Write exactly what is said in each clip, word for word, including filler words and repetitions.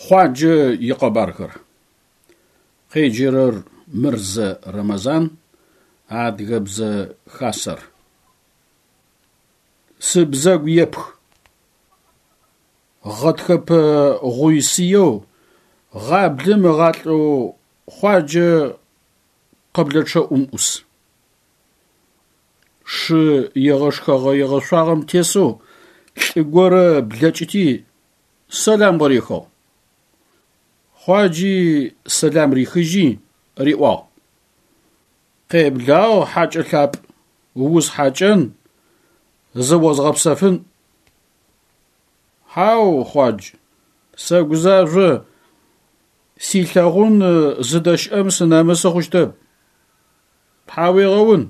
Хъуаджэ икъэбархэр. Къеджэрэр Мырзэ Рэмэзан, Адыгэбзэ Хасэр. Сыбзэгу епх. Гъэтхэпэ гъуй-сыеу гъаблэм ыгъалӏэу Хъуаджэ къэблэчъэӏум ӏус. Шы егъэшхэгъэ-егъэшъуагъэм тесэу лӏы горэ блэкӏыти сэлам къырихыгъ. Хъуаджи сэлам рихыжьи риӏуагъ: Къеблагъ, хьакӏэ лъапӏ, усхьакӏэн, зыозгъэпсэфын. Хьау, Хъуадж, сэгузажъо, силъэгъун зыдэщыӏэм сынэмысы хъущтэп. Тхьауегъэун.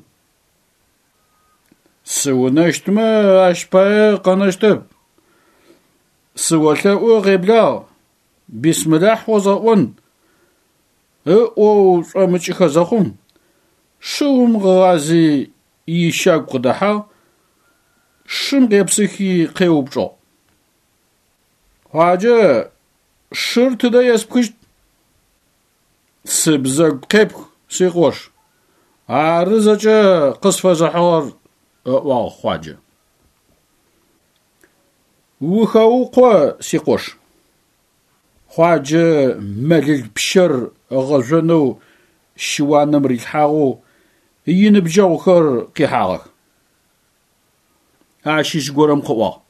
Сыунэщтмэ ащ пае къэнэщтэп. Сыолъэӏу, къеблагъ, бисмилахь озгъэӏон, ыӏоу шӏомыкӏыхэ зэхъум, шыум къыгъази ищагу къыдэхьагъ, шым къепсыхи къеупчӏыгъ: Хъуаджэ, шыр тыдэ еспхыщт? Сыбзэгу къепх, сикъош, ары зэкӏэ къысфэзыхьыгъэр, ыӏуагъ Хъуаджэ. Ухэукъо, сикъош. Хъуаджэ мэлыл пщэр ыгъэжъонэу щыуаным рилъхьагъэу иныбджэгъухэр къихьагъэх. Ащыщ горэм къыӏуагъ: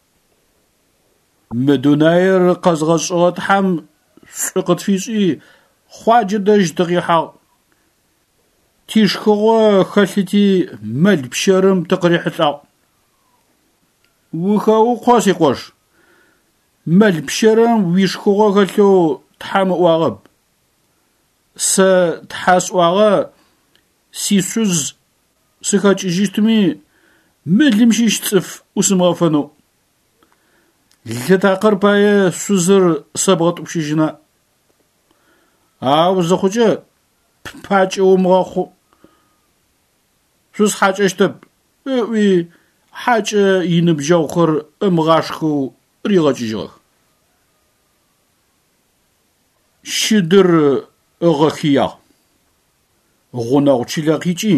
Мы дунаир къэзгъэшӏыгъэ Тхьэм шӏу къытфишӏи Хъуаджэ дэжь тыкъихьагъ. Тишхыгъо хэлъыти мэл пщэрым тыкъырихьылӏагъ. Ухэукъо, сикъош, мэл пщэрым уишхыгъо хэлъэу Тхьэм ыӏуагъэп. Сэ Тхьэ сӏуагъэ сишъуз сыхэкӏыжьыщтми мылым щыщ цӏыф ӏусымыгъэфэнэу. Лы такъыр пае шъузыр сэбгъэтӏупщыжьына? Ау зыхъукӏэ ппакӏэ умыгъэхъу. Шъусхьакӏэщтэп, ыӏуи хьакӏэ иныбджэгъухэр ымыгъашхэу ригъэкӏыжьыгъэх. Щыдыр ыгъэхыягъ. Гъунэгъу чылэ къикӏи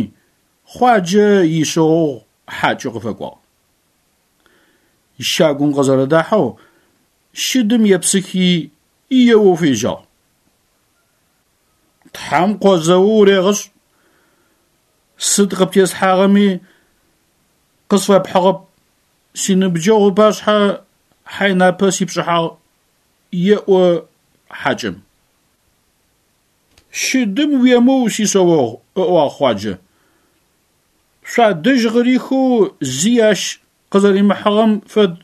Хъуаджэ ишъэогъу хьакӏэу къыфэкӏуагъ. Щагум къызэрэдахьэу щыдым епсыхи еоу фежьагъ. Тхьэм къозэу урегъэшӏ, сыд къыптеслъхьагъэми къысфэпхьыгъэп, синыбджэгъу ыпашъхьэ хьайнапэ сипшӏыхьагъ, еӏо хьакӏэм. Щыдым уемыу, сишъэогъу, ыӏуагъ Хъуаджэ. Шъуадэжь къырихэу зи ащ къызэримыхьыгъэм фэд,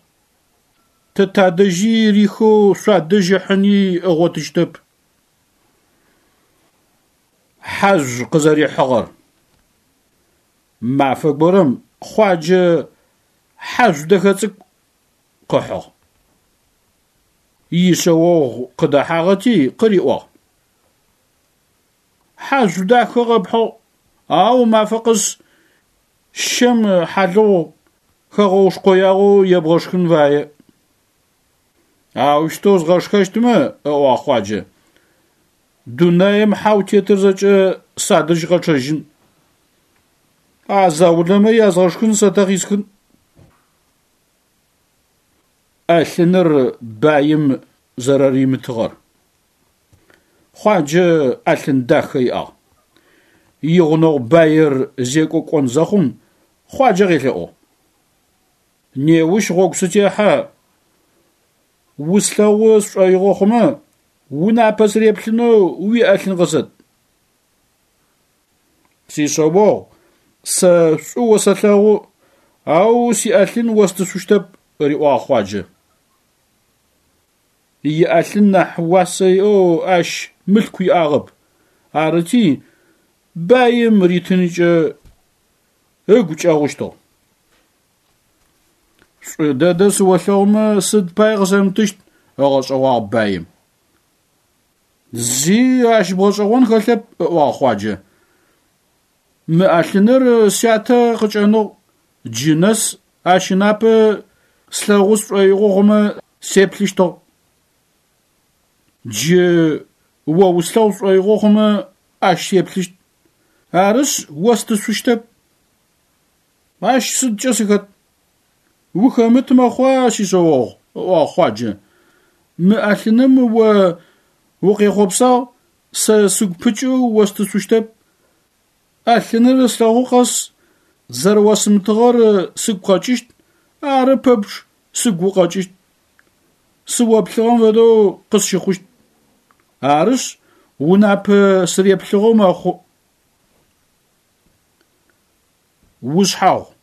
тэ тадэжьи рихэу шъуадэжь ыхьыни ыгъотыщтэп. Хьажъу къызэрихьыгъэр. Мафэ горэм Хъуаджэ хьажъу дэхэ цӏыкӏу къыхьыгъ. Ишъэогъу къыдэхьагъэти къыриӏуагъ: Хьажъу дахэ къэпхьыгъ, ау мафэ къэс щэм хьалыгъу хэгъэушкъоягъэу ебгъэшхын фае. Аущтэу згъэшхэщтмэ, ыӏуагъ Хъуаджэ, дунаим хьэу тетыр зэкӏэ садэжь къэчъэжьын. А заулэмэ язгъэшхын сэ тэ къисхын. Ӏэлъыныр баим зэрэримытыгъэр. Хъуаджэ ӏэлъын дахэ иӏагъ. Игъунэгъу баир зекӏо кӏон зэхъум Хъуаджэ къелъэӏугъ: Неущ гъогу сытехьэ, услъэгъу сшӏоигъо хъумэ, унапэ сыреплъынэу уиӏэлъын къысэт. Сишъэогъу, сэ шӏу осэлъэгъу, ау сиӏэлъын остышъущтэп, риӏуагъ Хъуаджэ. Иӏэлъын нахь уасэ иӏэу ащ мылъку иӏагъэп, арыти баим ритынкӏэ ыгу кӏэгъущтыгъ. Шӏу дэдэ сыолъэгъумэ сыд пае къысэмытыщт, ыгъэшӏэгъуагъ баим. Зи ащ бгъэшӏэгъон хэлъэп, ыӏуагъ Хъуаджэ. Мы ӏэлъыныр сятэ къыкӏэныгъ, джы нэс ащ ынапэ слъэгъу сшӏоигъо хъумэ сеплъыщтыгъ. Джы о услъэгъу шӏоигъо хъумэ ащ сеплъыщт. Арышъ, остышъущтэп. Ащ сыдкӏэ сыхэт? Ухэмыт мэхъуа, сишъэогъу, ыӏуагъ Хъуаджэ. Мы ӏэлъыным о укъехъопсагъ, сэ сыгу пыкӏэу остышъущтэп. Ӏэлъыныр слъэгъу къэс зэрэосымытыгъэр сыгу къэкӏыщт, ары пэпчъ сыгу укъэкӏыщт. Сыоплъыгъэм фэдэу къысщыхъущт. Арышъ, унапэ сыреплъыгъэу мэхъу. Ушъхьагъу.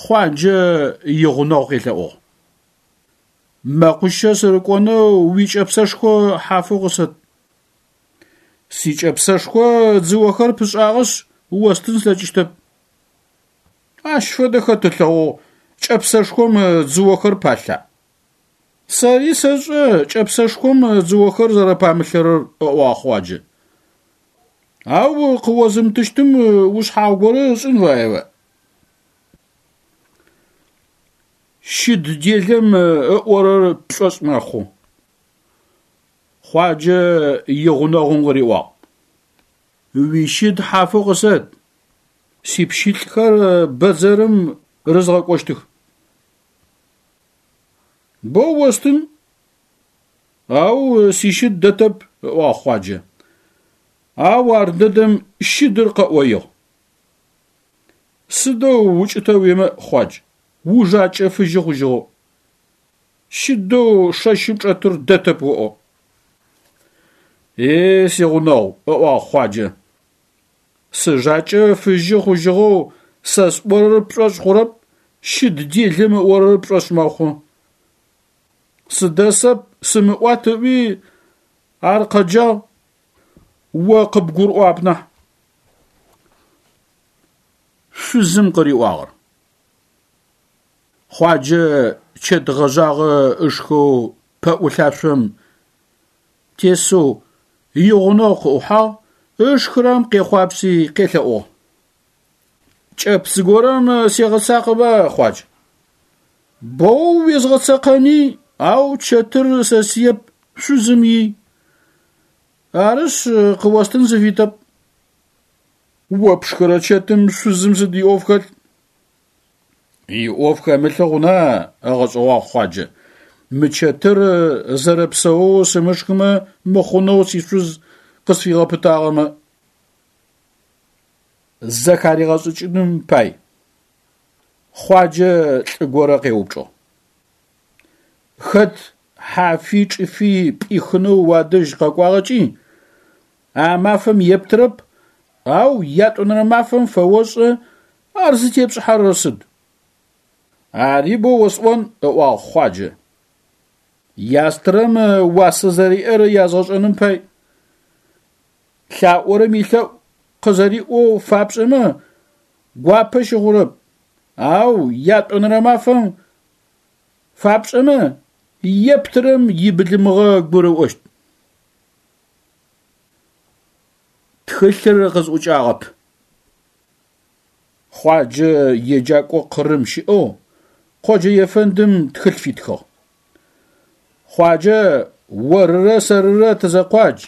Хъуаджэ игъунэгъу къелъэӏугъ: Мэкъущэ сырыкӏонэу уикӏэпсэшхо хьафэу къысэт. Сикӏэпсэшхо дзыохэр пышӏагъэшъ остын слъэкӏыщтэп. Ащ фэдэ хэт ылъэгъугъ, кӏэпсэшхом дзыохэр палъа? Сэри сэшӏэ кӏэпсэшхом дзыохэр зэрэпамылъэрэр, ыӏуагъ Хъуаджэ. Ау къыозымытыщтым ушъхьагъу горэ ышӏын фаеба? Щыд делэм ыӏорэр пшӏошъ мэхъу. Хъуаджэ игъунэгъум къыриӏуагъ: Уищыд хьафэу къысэт, сипщылӏхэр бэдзэрым рызгъэкӏощтых. Боу остын, ау сищыд дэтэп, ыӏуагъ Хъуаджэ. Ау ар дэдэм щыдыр къэӏоигъ. Сыдэу укӏытэ уимыӏ, Хъуадж, ужакӏэ фыжьы хъужьыгъэу. Щыдэу шэщым чӏэтыр дэтэп оӏо. Е, сигъунэгъу, ыӏуагъ Хъуаджэ. Сыжакӏэ фыжьы хъужьыгъэу сэ сӏорэр пшӏошъ хъурэп, щыд делэм ыӏорэр пшӏошъ мэхъу. Сыдэсэп, сымыӏуат ыӏуи ар къэджагъ, о къыбгурыӏуагъэп нахь. Шъузым къыриӏуагъэр. Хъуаджэ чэт гъэжъагъэ ышхэу пэӏулъашъом тесэу игъунэгъу къыӏухьагъ, ышхырэм къехъуапси къелъэӏугъ: Кӏэпс горэм сегъэцакъэба, Хъуадж. Боу уезгъэцэкъэни, ау чэтыр сэсыеп, шъузым ий. Арышъ, къыостын сыфитэп. О пшхырэ чэтым шъузым сыд иӏоф хэлъ? Иӏоф хэмылъы хъуна, ыгъэшӏэгъуагъ Хъуаджэ. Мы чэтыр зэрэпсэоу сымышхымэ мыхъунэу сишъуз къысфигъэпытагъэмэ. Зэхаригъэшӏыкӏыным пай. Хъуаджэ лӏы горэ къеупчӏыгъ: Хэт хьафи чӏыфи пӏихынэу уадэжь къэкӏуагъэкӏи, а мафэм ептырэп, ау ятӏонэрэ мафэм фэошӏэ, ар зытепшӏыхьэрэр сыд? Ари боу осӏон, ыӏуагъ Хъуаджэ. Ястырэм уасэ зэриӏэр язгъэшӏэным пай. Лъаӏорэм илъэӏу къызэриӏоу фапшӏэмэ, гуапэ щыхъурэп, ау ятӏонэрэ мафэм фапшӏэмэ, ептырэм ибылымыгъэ гурыӏощт. Тхылъыр къызӏукӏагъэп. Хъуаджэ еджакӏо Къырым щыӏэу къоджэ ефэндым тхылъ фитхыгъ. Хъуаджэ, орырэ сэрырэ тызэкъуадж.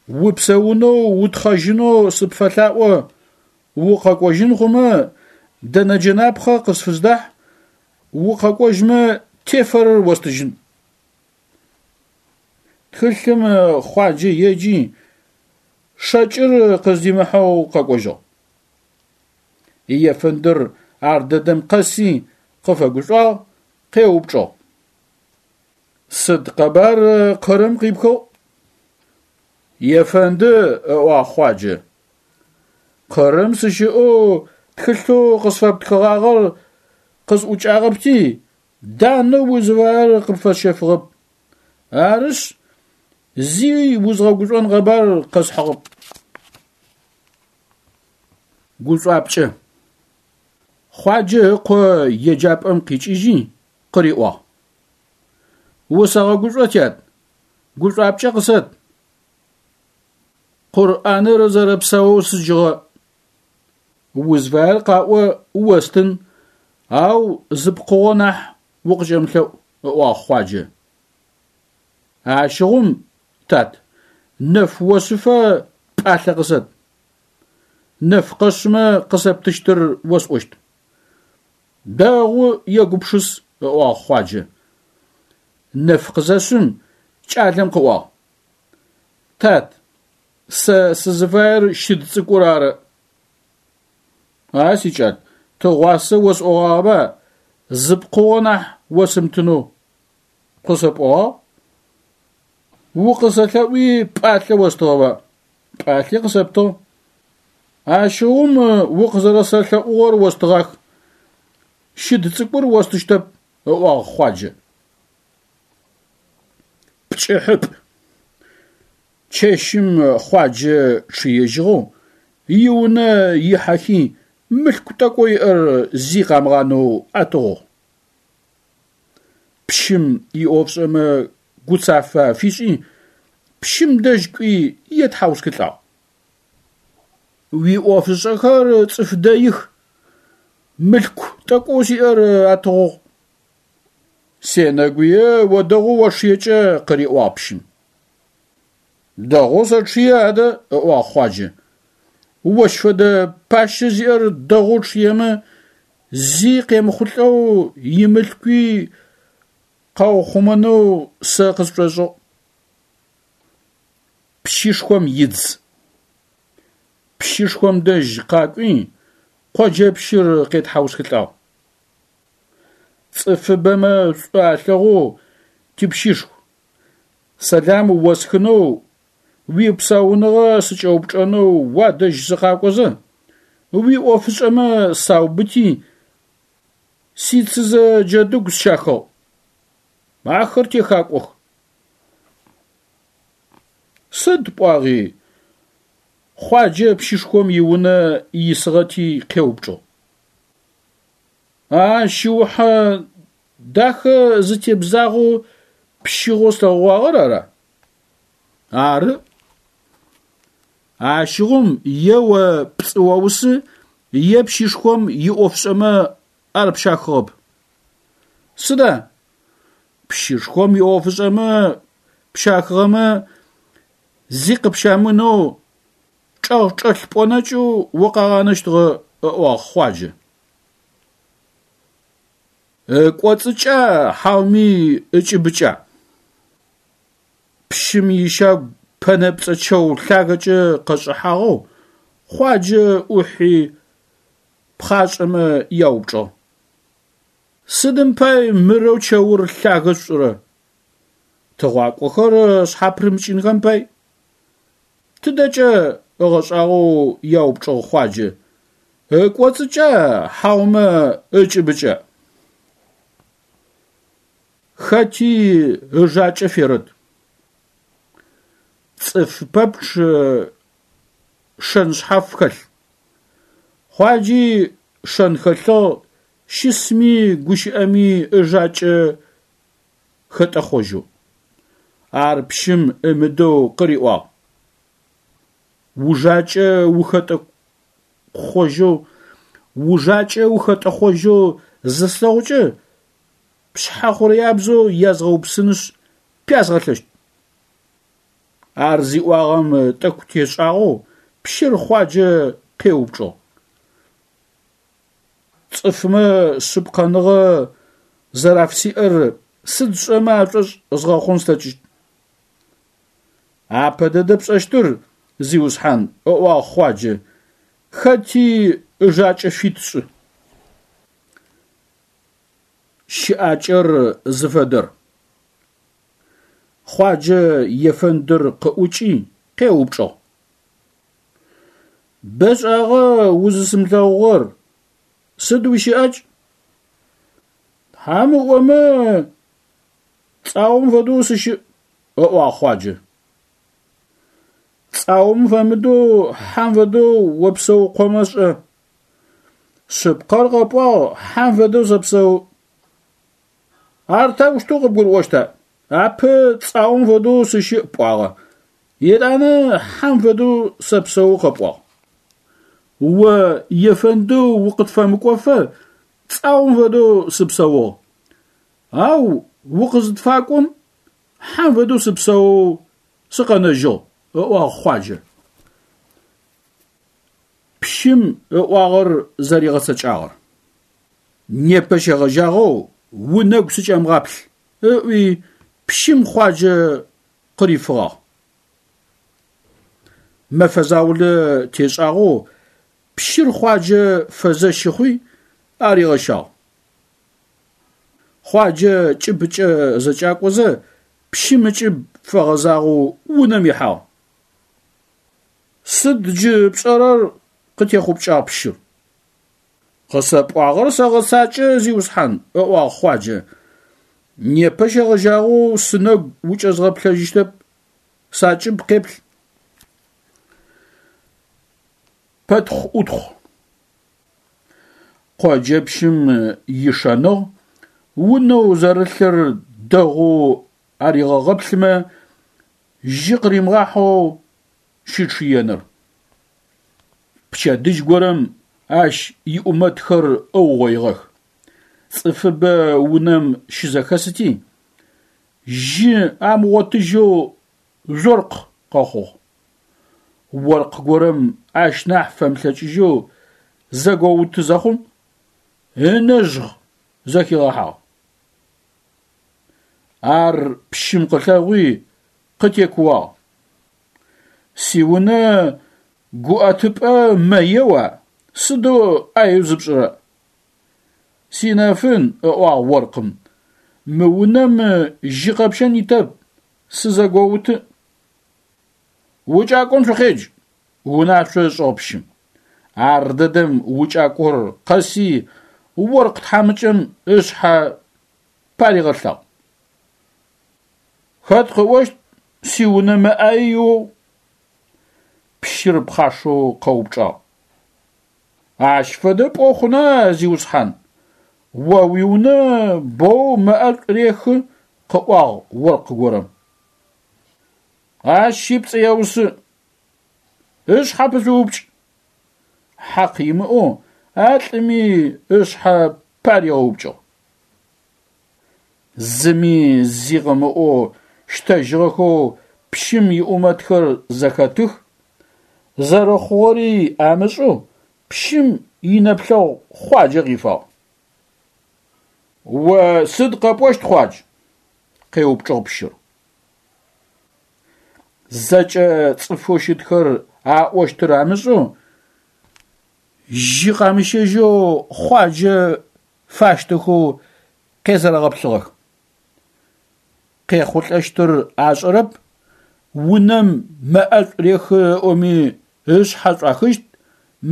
Упсэунэу утхъэжьынэу сыпфэлъаӏо, укъэкӏожьын хъумэ дэнэ джэнапхъэ къысфыздахь, укъэкӏожьмэ тефэрэр остыжьын. Тхылъым Хъуаджэ еджи, шэкӏыр къыздимыхьэу къэкӏожьыгъ. Ефэндыр ар дэдэм къэси къыфэгушӏуагъ, къеупчӏыгъ: Сыд къэбар Къырым къипхыгъ? Ефэнды, ыӏуагъ Хъуаджэ. Къырым сыщыӏэу тхылъэу къысфэптхыгъагъэр къысӏукӏагъэпти, данэу узыфаер къыпфэсщэфыгъэп. Арышъ, зи узгъэгушӏон къэбар къэсхьыгъэп. Гушӏуапкӏэ. Хъуаджэ ыкъо еджапӏэм къикӏыжьи къыриӏуагъ: Усэгъэгушӏо, тят, гушӏуапкӏэ къысэт. Къурӏаныр зэрэпсаоу сыджыгъэ. Узфаер къаӏо, остын, ау зы пкъыгъо нахь укъыкӏэмылъэӏу, ыӏуагъ Хъуаджэ. Ащыгъум, тат, нэф ошъыфэ пӏалъэ къысэт. Нэф къэшъымэ къысэптыщтыр осӏощт. Дэгъу, егупшыс, ыӏуагъ Хъуаджэ. Нэф къызэшъым кӏалэм къыӏуагъ: Тат, сэ сызыфаер щыд цӏыкӏур ары. А сикӏал, тыгъуасэ осӏогъагъэба зы пкъыгъо нахь осымытынэу къысэпӏогъагъ. Укъысэлъэӏуи пӏалъэ остыгъэба? Пӏалъи къысэптыгъ. Ащыгъум укъызэрэсэлъэӏугъэр остыгъах. Щыд цӏыкӏур остыщтэп, ыӏуагъ Хъуаджэ. Пкӏыхьыпӏ. Чэщым Хъуаджэ чъыежьыгъэу иунэ ихьэхи мылъку тӏэкӏоу иӏэр зи къамыгъанэу атыгъугъ. Пщым иӏофшӏэмэ гуцафэ афишӏи, пщым дэжь кӏуи етхьаусхылӏагъ. Уиӏофышӏэхэр цӏыф дэих, мылъку тӏэкӏоу сиӏэр атыгъугъ. Сенэгуе о дэгъоу очъыекӏэ, къыриӏуагъ пщым. Дэгъоу сэчъые адэ, ыӏуагъ Хъуаджэ. Ощ фэдэ пащэ зиӏэр дэгъоу чъыемэ, зи къемыхъулӏэу имылъкуи къаухъумэнэу сэ къысшӏошӏыгъ. Пщышхом идз. Пщышхом дэжь къакӏуи къоджэпщыр къетхьаусхылӏагъ. Цӏыфыбэмэ шӏу алъэгъоу типщышху, сэлам осхынэу, уипсауныгъэ сыкӏэупчӏэнэу уадэжь сыкъакӏозэ, уиӏофышӏэмэ саубыти, сицызэ джэдыгу сщахыгъ. Ахэр техакӏох. Сыд пӏуагъи? Хъуаджэ пщышхом иунэ исыгъэти къеупчӏыгъ. А шыухьэ дахэ зытебзагъэу пщыгъэу слъэгъугъагъэр ара? Ары. Ащыгъум е о пцӏы оусы, е пщышхом иӏофшӏэмэ ар пщахыгъэп. Сыда? Пщышхом иӏофышӏэмэ пщахыгъэмэ зи къыпщамынэу чӏэгъчӏэлъ пӏонэкӏэу укъагъанэщтыгъэ, ыӏуагъ Хъуаджэ. Ыкӏоцӏыкӏа хьауми ыкӏыбыкӏа? Пщым ищагу пэнэпцӏэ чэу лъагэкӏэ къэшӏыхьагъэу Хъуаджэ ӏухьи пхъашӏэмэ яупчӏыгъ. Сыдым пай мырэу чэур лъагэ шъушӏырэ? Тыгъуакӏохэр шъхьапырымыкӏынхэм пай. Тыдэкӏэ ыгъэшӏагъоу яупчӏыгъ Хъуаджэ. Ыкӏоцӏыкӏа хьаумэ ыкӏыбыкӏа? Хэти ыжакӏэ ферэт. Цӏыф пэпчъ шэн шъхьаф хэлъ. Хъуаджи шэн хэлъыгъ, щысми гущыӏэми ыжакӏэ хэтӏэхъожьэу. Ар пщым ымыдэу къыриӏуагъ. Ужакӏэ ухэтӏэхъожьэу, ужакӏэ ухэтӏэхъожьэу зыслъэгъукӏэ, пшъхьэ хъурэябзэу язгъэупсынышъ пязгъэлъэщт. Ар зиӏуагъэм тӏэкӏу тешӏагъэу пщыр Хъуаджэ къеупчӏыгъ. Цӏыфмэ шъыпкъэныгъэ зэрафсиӏэр сыд сшӏэмэ ашӏошъ згъэхъун слъэкӏыщт? Апэ дэдэ пшӏэщтыр, зиусхьан, ыӏуагъ Хъуаджэ, хэти ыжакӏэ фит шӏы. Щыӏакӏэр зыфэдэр. Хъуаджэ ефэндыр къыӏукӏи къеупчӏыгъ. Бэшӏагъэ узысымылъэгъугъэр, сыд уищыӏакӏ? Тхьам ыӏомэ, цӏаум фэдэу сыщыӏ, ыӏуагъ Хъуаджэ. Цӏаум фэмыдэу хьам фэдэу опсэукъомэ шӏэ. Шъыпкъэр къэпӏуагъ, хьам фэдэу сэпсэу. Ар таущтэу къыбгурыӏощта? Апэ цӏаум фэдэу сыщыӏ пӏуагъэ, етӏанэ хьам фэдэу сэпсэу къэпӏуагъ. О ефэндэу укъытфэмыкӏофэ цӏаум фэдэу сыпсэугъ. Ау укъызытфакӏом Хьэм фэдэу сыпсэоу сыкъэнэжьыгъ, ыӏуагъ Хъуаджэ. Пщым ыӏуагъэр зэригъэцэкӏагъэр. Непэ щегъэжьагъэу унэгу сыкӏэмыгъаплъ, ыӏуи пщым Хъуаджэ къырифыгъагъ. Мэфэ заулэ тешӏагъэу пщыр Хъуаджэ фэзэщы хъуи аригъэщагъ. Хъуаджэ кӏыбыкӏэ зэкӏакӏозэ пщым ыкӏыб фэгъэзагъэу унэм ихьагъ. Сыд джы пшӏэрэр? Къытехъупкӏагъ пщыр. Къысэпӏуагъэр сэгъэцакӏэ, зиусхьан, ыӏуагъ Хъуаджэ. Непэ щегъэжьагъэу сынэгу укӏэзгъэплъэжьыщтэп, сакӏыб къеплъ. Пэтхъу-ӏутхъу. Къоджэпщым ишэныгъ унэу зэрылъыр дэгъоу аригъэгъэплъымэ, жьы къыримыгъахьэу щычъыеныр. Пчэдыжь горэм ащ иӏумэтхэр ыугъоигъэх. Цӏыфыбэ унэм щызэхэсыти, жьы амыгъотыжьэу жъоркъ къэхъугъ. Оркъ горэм ащ нахь фэмылъэкӏыжьэу зэгоуты зэхъум, ынэжгъ зэхигъэхьагъ. Ар пщым къылъэгъуи къытекууагъ. Сиунэ гуӏэтыпӏэ мэ еуа, сыдэу ӏаеу зыпшӏырэ? Синэфын, ыӏуагъ оркъым, мы унэм жьы къэпщэн итэп, сызэгоуты. Укӏакӏом шъукъедж, унашъо ышӏыгъ пщым. Ар дэдэм укӏакӏор къэси оркъ тхьамыкӏэм ышъхьэ паригъэлъагъ. Хэт къыӏощт сиунэ мэ ӏае иӏэу? Пщыр пхъашэу къэупчӏагъ. Ащ фэдэ пӏо хъуна, зиусхьан? О уиунэ боу мэ ӏэшӏу рехы, къыӏуагъ оркъ горэм. Ащи пцӏы еусы. Ышъхьэ пышъуупкӏ. Хьакъ имыӏэу а лӏыми ышъхьэ паригъэупкӏыгъ. Зыми зи къымыӏоу щтэжьыгъэхэу пщым иӏумэтхэр зэхэтых, зэрэхъугъэри амышӏэу пщым инэплъэгъу Хъуаджэ къифагъ. О сыд къэпӏощт, Хъуадж? Къеупчӏыгъ пщыр. Зэкӏэ цӏыфэу щытхэр аӏощтыр амышӏэу, жьы къамыщэжьэу Хъуаджэ фащтэхэу къезэрэгъэплъыгъэх. Къехъулӏэщтыр ашӏэрэп, унэм мэ ӏэшӏу рехы ыӏоми ышъхьэ шӏуахыщт,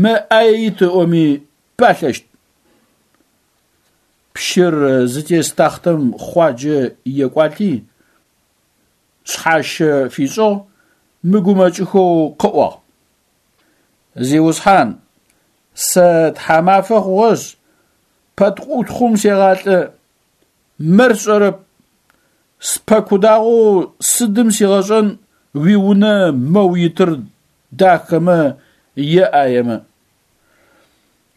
мэ ӏае ит ыӏоми палъэщт. Пщыр зытес тахътэм Хъуаджэ екӏуалӏи, шъхьащэ фишӏыгъ, мыгумэкӏыхэу къыӏуагъ. Зиусхьан, сэ тхьамафэ хъугъэшъ, пэтхъу-ӏутхъум сегъалӏэ, мэр сшӏэрэп. Спэкудагъэу сыдым сигъэшӏэн уиунэ мэу итыр дахэмэ е ӏаемэ.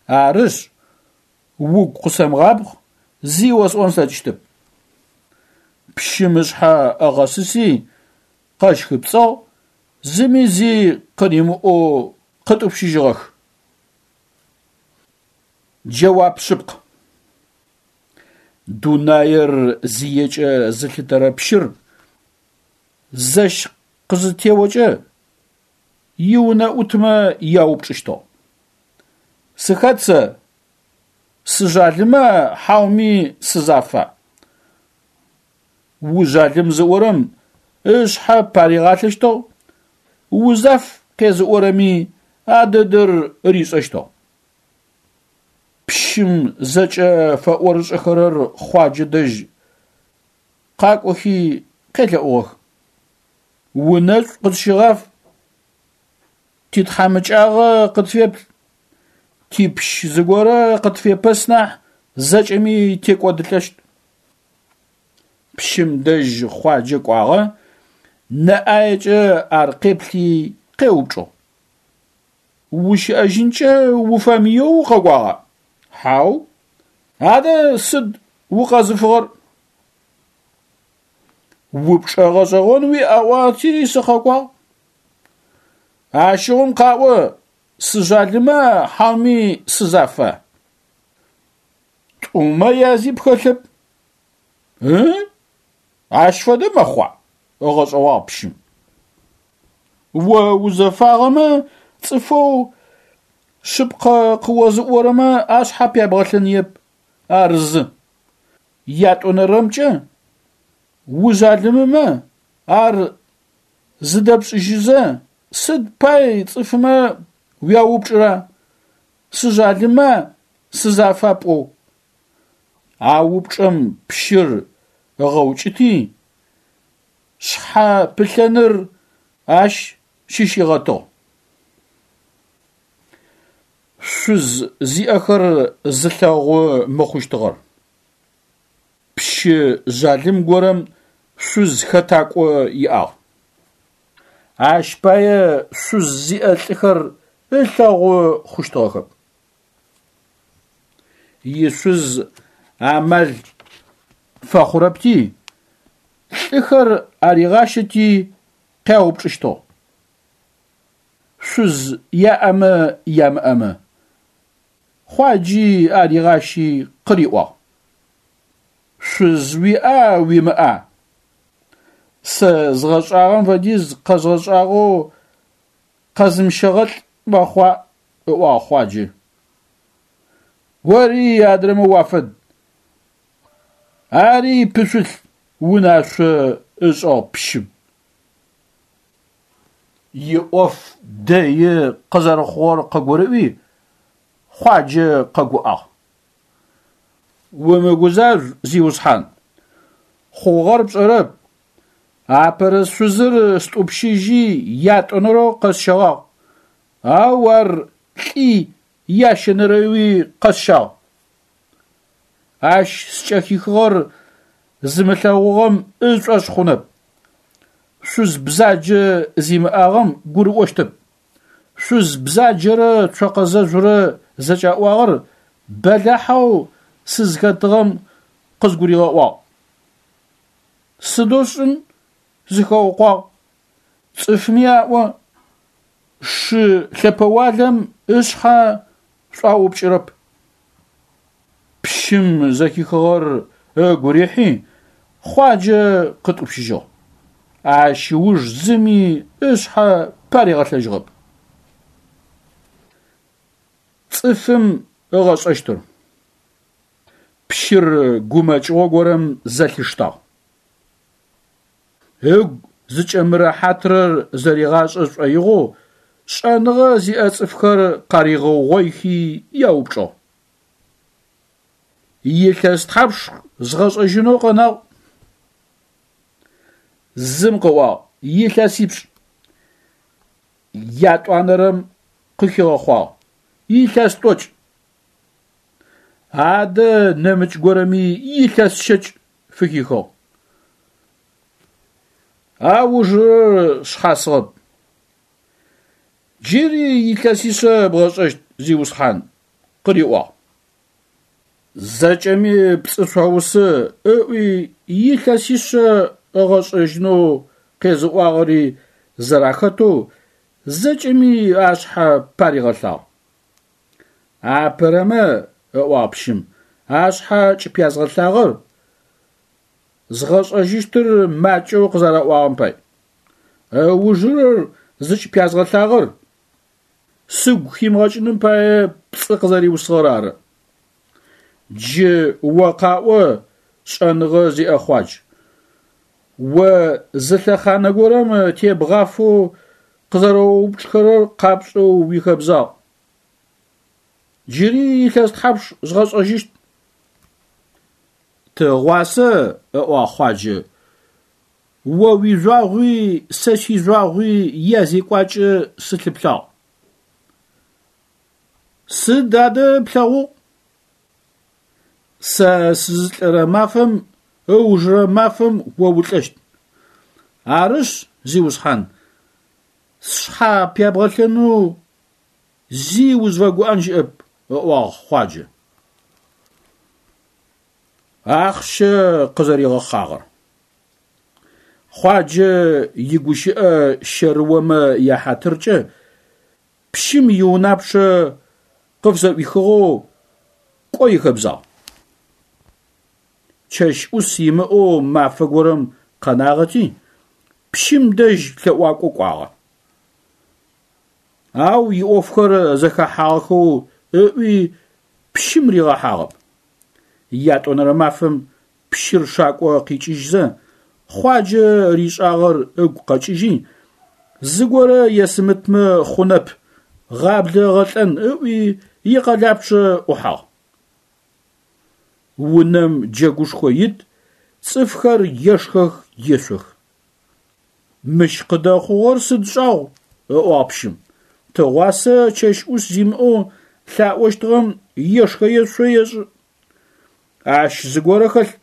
Арышъ, угу къысэмыгъабгъ, зи осӏон слъэкӏыщтэп. Пщым ышъхьэ ыгъэсыси къэщхыпцӏыгъ, зыми зи къыримыӏоу къытӏупщыжьыгъэх. Джэуап шъыпкъ. Дунаир зиекӏэ зылъытэрэ пщыр зэщ къызытеокӏэ иунэӏутмэ яупчӏыщтыгъ. Сыхэт сэ? Сыжъалыма хьауми сызафа? Ужъалым зыӏорэм ышъхьэ паригъалъэщтыгъ, узаф къезыӏорэми а дэдэр ришӏэщтыгъ. Пщым зэкӏэ фэӏорышӏэхэрэр Хъуаджэ дэжь къакӏохи къелъэӏугъэх. Унэшӏу къытщыгъаф, титхьамыкӏагъэ къытфеплъ, типщ зыгорэ къытфепэс нахь зэкӏэми текӏодылӏэщт. Пщым дэжь Хъуаджэ кӏуагъэ, нэ ӏаекӏэ ар къеплъи къеупчӏыгъ. Ущыӏэжьынкӏэ уфэмыеу укъэкӏуагъа? Хьау. Адэ сыд укъэзыфыгъэр? Упчӏэ гъэшӏэгъон уиӏ аӏуати сыкъэкӏуагъ. Ащыгъум къаӏо, сыжъалыма хьауми сызафа? Тӏумэ язи пхэлъэп. Ы? Ащ фэдэ мэхъуа? Ыгъэшӏэгъуагъ пщым. О узэфагъэмэ цӏыфэу шъыпкъэ къыозыӏорэмэ ашъхьэ пябгъэлъэныеп, ар зы. Ятӏонэрэмкӏэ, ужъалымымэ ар зыдэпшӏыжьызэ сыд пай цӏыфмэ уяупчӏыра: сыжъалыма, сызафа пӏоу? А упчӏэм пщыр ыгъэукӏыти, шъхьэ пылъэныр ащ щыщигъэтыгъ. Шъуз зиӏэхэр зылъэгъу мыхъущтыгъэр. Пщы жъалым горэм шъуз хэтакӏо иӏагъ. Ащ пае шъуз зиӏэ лӏыхэр ылъэгъу хъущтыгъэхэп. Ишъуз амал фэхъурэпти, лӏыхэр аригъащэти къяупчӏыщтыгъ: шъуз яӏэмэ ямыӏэмэ. Хъуаджи аригъащи къыриӏуагъ: Шъуз уиӏа уимыӏа? Сэ згъэшӏагъэм фэдиз къэзгъэшӏагъэу къэзымыщэгъэлӏ мэхъуа, ыӏуагъ Хъуаджэ. Ори адрэмэ уафэд. Ари пышъулъ, унашъо ышӏыгъ пщым. Иӏоф дэи къызэрэхъугъэр къыгурыӏуи, Хъуаджэ къэгуӏагъ. Умыгузажъу, зиусхьан, хъугъэр пшӏэрэп. Апэрэ шъузыр стӏупщыжьи ятӏонэрэу къэсщэгъагъ, ау ар лӏи ящэнэрэуи къэсщагъ. Ащ скӏэхихыгъэр зымылъэгъугъэм ышӏошъ хъунэп. Шъуз бзаджэ зимыӏагъэм гурыӏощтэп. Шъуз бзаджэрэ цокъэ зэжъурэ зыкӏаӏуагъэр бэлахьэу сызхэтыгъэм къызгуригъэӏуагъ. Сыдэу сшӏын, сыхэукъуагъ. Цӏыфми аӏо: шы лъэпэуалэм ышъхьэ шӏуаупкӏырэп. Пщым зэхихыгъэр ыгу рихьи, Хъуаджэ къытӏупщыжьыгъ. Ащ ыуж зыми ышъхьэ паригъэлъэжьыгъэп. Цӏыфым ыгъэшӏэщтыр. Пщыр гумэкӏыгъо горэм зэлъиштагъ. Ыгу зыкӏэмырэхьатрэр зэригъашӏэ шӏоигъоу шӏэныгъэ зиӏэ цӏыфхэр къаригъэугъоихи яупчӏыгъ: Илъэс тхьапш згъэшӏэжьынэу къэнагъ? Зым къыӏуагъ: илъэсипшӏ. Ятӏуанэрэм къыхигъэхъуагъ: илъэс тӏокӏ. Адэ нэмыкӏ горэми илъэс щэкӏ фыхихыгъ. Аужырэр шъхьасыгъэп. Джыри илъэсишъэ бгъэшӏэщт, зиусхьан, къыриӏуагъ. Зэкӏэми пцӏы шъуаусы, ыӏуи илъэсишъэ ыгъэшӏэжьынэу къезыӏуагъэри зэрахэтэу зэкӏэми ашъхьэ паригъэлъагъ. Апэрэмэ, ыӏуагъ пщым, ашъхьэ кӏыпязгъэлъагъэр згъэшӏэжьыщтыр макӏэу къызэраӏуагъэм пай. Ыужырэр зыкӏыпязгъэлъагъэр сыгу химыгъэкӏыным пае пцӏы къызэриусыгъэр ары. Джы о къаӏо шӏэныгъэ зиӏэ Хъуадж. О зы лъэхъанэ горэм тебгъафэу къызэрэоупчӏхэрэр къапшӏэу уихэбзагъ. Джыри илъэс тхьапш згъэшӏэжьыщт? Тыгъуасэ, ыӏуагъ Хъуаджэ, о уижъуагъуи сэ сижъуагъуи язекӏуакӏэ сылъыплъагъ. Сыд адэ плъэгъугъ? Сэ сызылӏэрэ мафэм ыужырэ мафэм о улӏэщт. Арышъ, зиусхьан, сшъхьэ пябгъэлъэнэу зи узфэгуӏэн щыӏэп, ыӏуагъ Хъуаджэ. Ахъщэ къызэригъэхъагъэр. Хъуаджэ игущыӏэ щэрыомэ яхьатыркӏэ пщым иунапчъэ къыфызэӏуихыгъэу кӏо ихэбзагъ. Чэщ ӏус имыӏэу мафэ горэм къэнагъэти, пщым дэжь лъэӏуакӏо кӏуагъэ. Ау иӏофхэр зэхэхьагъэхэу ыӏуи пщым ригъэхьагъэп. Ятӏонэрэ мафэм пщыр шакӏо къикӏыжьзэ, Хъуаджэ ришӏагъэр ыгу къэкӏыжьи, зыгорэ есымытмэ хъунэп, гъаблэ ыгъэлӏэн ыӏуи икъэлапчъэ ӏухьагъ. Унэм джэгушхо ит, цӏыфхэр ешхэх, ешъох. Мыщ къыдэхъугъэр сыд шӏагъу, ыӏуагъ пщым. Тыгъуасэ чэщ ӏус зимыӏэу лъаӏощтыгъэм ешхэ-ешъо ешӏы. Ащ зыгорэ хэлъ.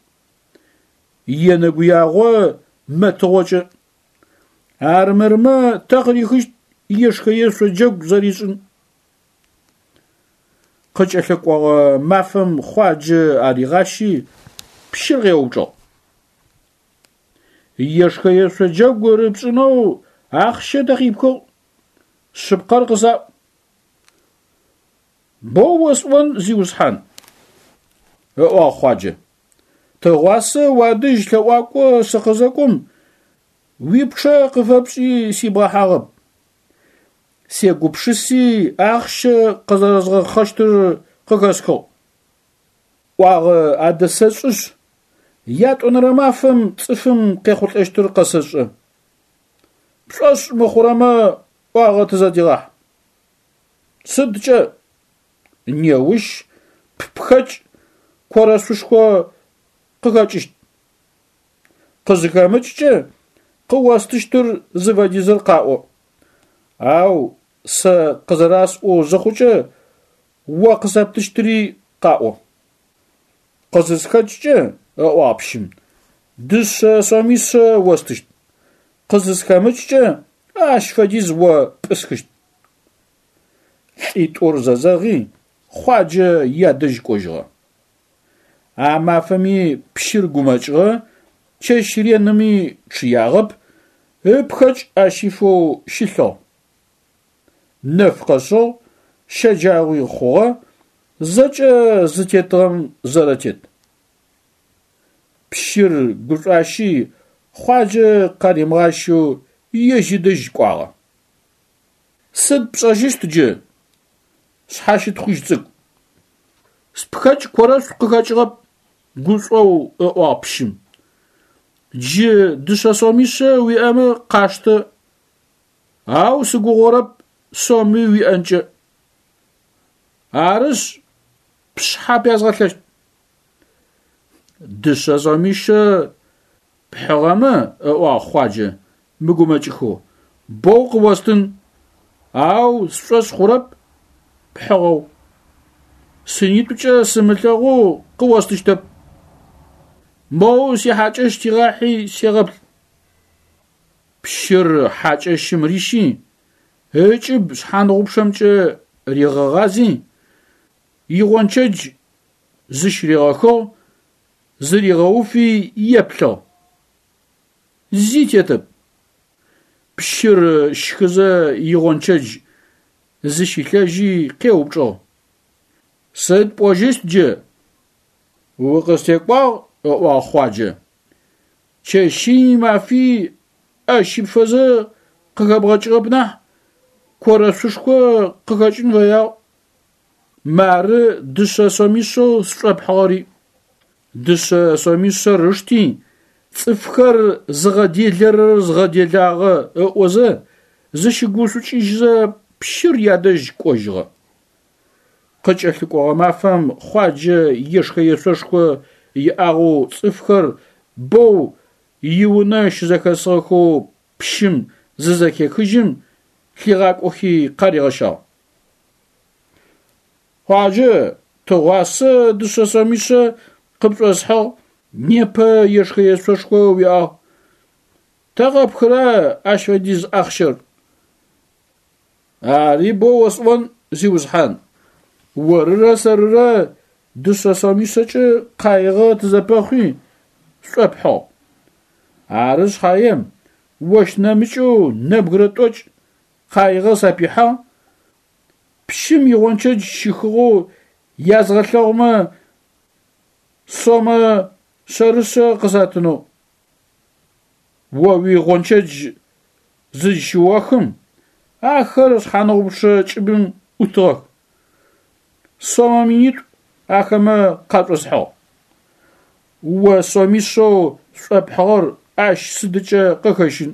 Енэгуягъо мэтыгъокӏэ. Армырмэ тэ къырихыщт ешхэ-ешъо джэгу зэришӏын. Къыкӏэлъыкӏогъэ мафэм Хъуаджэ аригъащи пщыр къеупчӏыгъ. Ешхэ-ешъо джэгу рыпшӏынэу ахъщэ тэ къипхыгъ? Шъыпкъэр къысаӏу. Боу осӏон, зиусхьан, ыӏуагъ Хъуаджэ. Тыгъуасэ уадэжь лъэӏуакӏо сыкъызэкӏом, уипчъэ къыфэпшӏи сибгъэхьагъэп. Сегупшыси ахъщэ къызэрэзгъэхъэщтыр къыхэсхыгъ. ӏуагъэ адэсэшӏышъ, ятӏонэрэ мафэм цӏыфым къехъулӏэщтыр къэсэшӏэ. Пшӏошъ мыхъурэмэ ӏуагъэ тызэдегъахь. Сыдкӏэ? Неущ ппхэкӏ корэшъушхо къыхэкӏыщт. Къызыхэмыкӏкӏэ къыостыщтыр зыфэдизыр къаӏо. Ау сэ къызэрасӏоу зыхъукӏэ о къысэптыщтыри къаӏо. Къызысхэкӏкӏэ, ыӏуагъ пщым, дышъэ сомишъэ остыщт. Къызысхэмыкӏкӏэ ащ фэдиз о пӏысхыщт. Лӏитӏур зэзэгъи, Хъуаджэ ядэжь кӏожьыгъэ. А мафэми пщыр гумэкӏыгъэ, чэщ реными чъыягъэп, ыпхэкӏ ащифэу щылъыгъ. Нэф къэшъыгъ, щэджагъуи хъугъэ, зэкӏэ зытетыгъэм зэрэтет. Пщыр гушӏуащи Хъуаджэ къаримыгъащэу ежь ыдэжь кӏуагъэ. Сыд пшӏэжьыщт джы, шъхьащытхъужь цӏыкӏу? Спхэкӏ корэшъу къыхэкӏыгъэп, гушӏоу ыӏуагъ пщым. Джы дышъэ сомишъэ уиӏэмэ къаштэ, ау сыгугъорэп соми уиӏэнкӏэ. Арышъ, пшъхьэ пязгъэлъэщт. Дышъэ сомишъэ пхьыгъэмэ, ыӏуагъ Хъуаджэ, мыгумэкӏыхэу, боу къыостын, ау сшӏошъ хъурэп пхьыгъэу. Сынитӏукӏэ сымылъэгъоу къыостыщтэп. Моу сихьакӏэщ тигъахьи сегъэплъ. Пщыр хьакӏэщым рищи, ыкӏыб шъхьангъупчъэмкӏэ ригъэгъази, игъончэдж зыщыригъэхыгъ, зыригъэуфи еплъыгъ. Зи тетэп. Пщыр щхызэ игъончэдж зыщилъэжьи къеупчӏыгъ. Сыд пӏожьыщт джы? Укъыстекӏуагъ, ыӏуагъ Хъуаджэ. Чэщи мафи ӏэ щыпфэзэ къыхэбгъэкӏыгъэп нахь, корэшъушхо къыхэкӏын фэягъ. Мары дышъэ сомишъэу сшӏопхьыгъэри. Дышъэ сомишъэр ышти, цӏыфхэр зыгъэделэрэр згъэделагъэ ыӏозэ, зыщыгушӏукӏыжьзэ пщыр ядэжь кӏожьыгъэ. Къыкӏэлъыкӏогъэ мафэм Хъуаджэ ешхэ-ешъошхо иӏагъэу цӏыфхэр боу иунэ щызэхэсыгъэхэу пщым зызэхехыжьым, лъигъакӏохи къаригъэщагъ. Хъуаджэ, тыгъуасэ дышъэ сомишъэ къыпшӏосхьыгъ, непэ ешхэ-ешъошхо уиӏагъ. Тэ къепхыра ащ фэдиз ахъщэр? Ари боу осӏон, зиусхьан. Орырэ сэрырэ дышъэ сомишъэкӏэ къаигъэ тызэпэхъуи, сшӏопхьыгъ. Ары шъхьаем ощ нэмыкӏэу нэбгырэ тӏокӏ къаигъэ сапихьагъ, пщым игъончэдж щыхыгъэу язгъэлъэгъумэ сомэ шъэрышъэ къысатынэу. О уигъончэдж зызщыохым ахэр шъхьаныгъупчъэ кӏыбым ӏутыгъэх. Сомэ минитӏу ахэмэ къашӏосхьыгъ. О сомишъэу сшӏопхьыгъэр ащ сыдыкӏэ къыхэщын.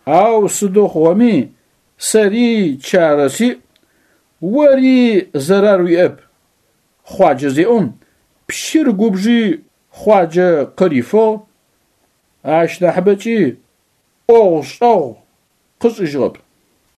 Ау сыдэу хъугъэми сэри чарэ сиӏ, ори зэрар уиӏэп, Хъуаджэ зеӏом, пщыр губжи Хъуаджэ къырифыгъ, ащ нахьыбэкӏи ӏогъу-шӏэгъу къышӏыжьыгъэп.